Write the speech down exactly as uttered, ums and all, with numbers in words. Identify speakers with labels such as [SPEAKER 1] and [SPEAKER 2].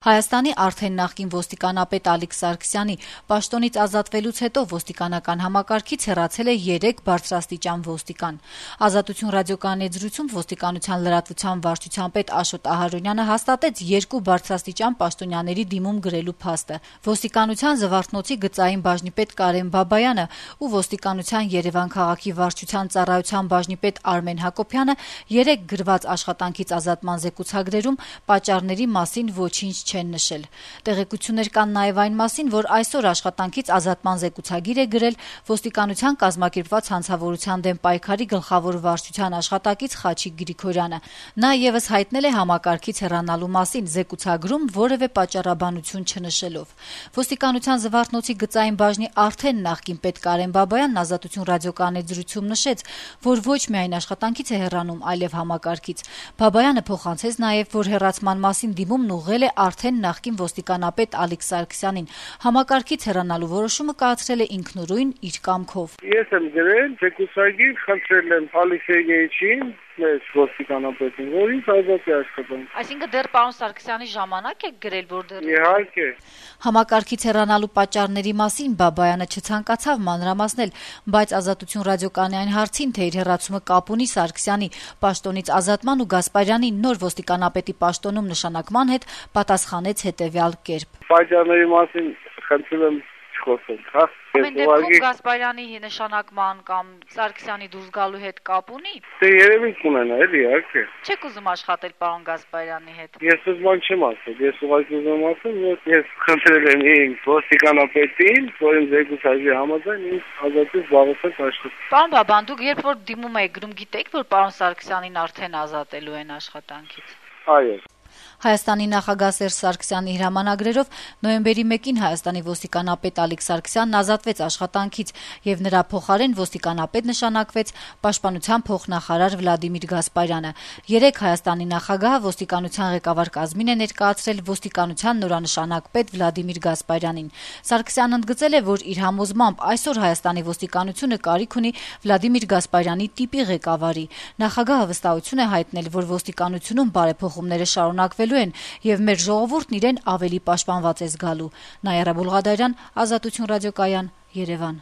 [SPEAKER 1] Հայաստանի արդեն նախկին ոստիկանապետ Ալիկ Սարգսյանի պաշտոնից ազատվելուց հետո ոստիկանական համակարգից հեռացել է երեք բարձրաստիճան ոստիկան։ «Ազատություն» ռադիոկայանի եզրույցում ոստիկանության լրատվության վարչության պետ Աշոտ Ահարոնյանը հաստատեց երկու բարձրաստիճան պաշտոնյաների դիմում գրելու փաստը։ Ոստիկանության Զվարթնոցի գծային բաժնի պետ Կարեն Բաբայանը ու ոստիկանության Երևան քաղաքի վարչության ծառայության բաժնի պետ Արմեն Հակոբյանը երեք գրված աշխատանքից ազատման զեկուցագրերում պատճառների մասին ոչինչ չեն նշել։ Տեղեկություններ կան նաև այն մասին, որ այսօր աշխատանքից ազատման զեկուցագիր է գրել ոստիկանության կազմակերպված հանցավորության դեմ պայքարի գլխավոր վարչության աշխատակից Խաչիկ Գրիգորյանը։ Նա ևս հայտնել է համակարգից հեռանալու մասին զեկուցագրում որևէ պատճառաբանություն չնշելով։ Ոստիկանության Զվարթնոցի գծային բաժնի արդեն նախկին պետ Կարեն Բաբայանն «Ազատություն» ռադիոկայանի եզրույցում նշեց, որ ոչ միայն աշխատանքից է հեռանում, այլև համակարգից։ Բաբայանը փոխանցեց նաև, որ հեռացման մասին դիմումն ուղղել է արդեն նախկին ոստիկանապետ Ալիկ Սարգսյանին։ Համակարգից հեռանալու որոշումը կայացրել է ինքնուրույն իր կամքով։
[SPEAKER 2] Ես եմ գրել զեկուցագիր, խնդրել եմ Ալիկ Սերգեյիչին, մեր ոստիկանապետին, որ ինձ ազատի աշխատանք։
[SPEAKER 1] Այսինքն դեռ պարոն Սարգսյանի ժամանակ եք գրել, որ դեռ
[SPEAKER 2] Իհարկե։
[SPEAKER 1] Համակարգից հեռանալու պատճառների մասին Բաբայանը չցանկացավ մանրամասնել, բայց «Ազատություն» ռադիոկայանի այն հարցին, թե իր հեռացումը կապ ունի Սարգսյանի պաշտոնից ազատման ու Գասպարյանի նոր ոստիկանապետի պաշտոնում նշանակման հետ, պատասխանեց հետևյալ կերպ.
[SPEAKER 2] Պատճառների մասին խնդրում եմ չխոսել, հա։
[SPEAKER 1] Ամեն դեպքում Գասպարյանի նշանակման կամ Սարգսյանի դուրս գալու հետ կապ ունի։
[SPEAKER 2] Դե երևի կունենա, էլի, իհարկե։
[SPEAKER 1] Չեք ուզում աշխատել պարոն Գասպարյանի հետ։
[SPEAKER 2] Ես ուզում եմ չեմ ասել, ես ուղղակի ուզում եմ ասել, որ ես խնդրել եմ ինձ ոստիկանապետին, որ ինձ զեկուցագրի համաձայն ինձ ազատի զբաղեցնել աշխատանք։
[SPEAKER 1] Պարոն Բաբան, դուք երբ որ դիմում եք գրում, գիտեք, որ պարոն Սարգսյանին արդեն ազատելու են աշխատանքից։
[SPEAKER 2] Այո։
[SPEAKER 1] Հայաստանի նախագահ Սերժ Սարգսյանի հրամանագրերով նոյեմբերի մեկին Հայաստանի ոստիկանապետ Ալիկ Սարգսյանն ազատվեց աշխատանքից եւ նրա փոխարեն ոստիկանապետ նշանակվեց պաշտպանության փոխնախարար Վլադիմիր Գասպարյանը։ Երեք Հայաստանի նախագահը ոստիկանության ղեկավար կազմին է ներկայացրել ոստիկանության նորանշանակ պետ Վլադիմիր Գասպարյանին։ Սարգսյանն ընդգծել է, որ իր համոզմամբ այսօր Հայաստանի ոստիկանությունը կարիք ունի Վլադիմիր Գասպարյանի տիպի ղեկավարի։ Նախագահը վստահություն է հայտնել, որ ոստիկանությունում բարեփոխումները շարունակվելու են եւ մեր ժողովուրդն իրեն ավելի պաշտպանված է զգալու։ Նաիրա Բուլղադարյան, «Ազատություն» ռադիոկայան, Երևան։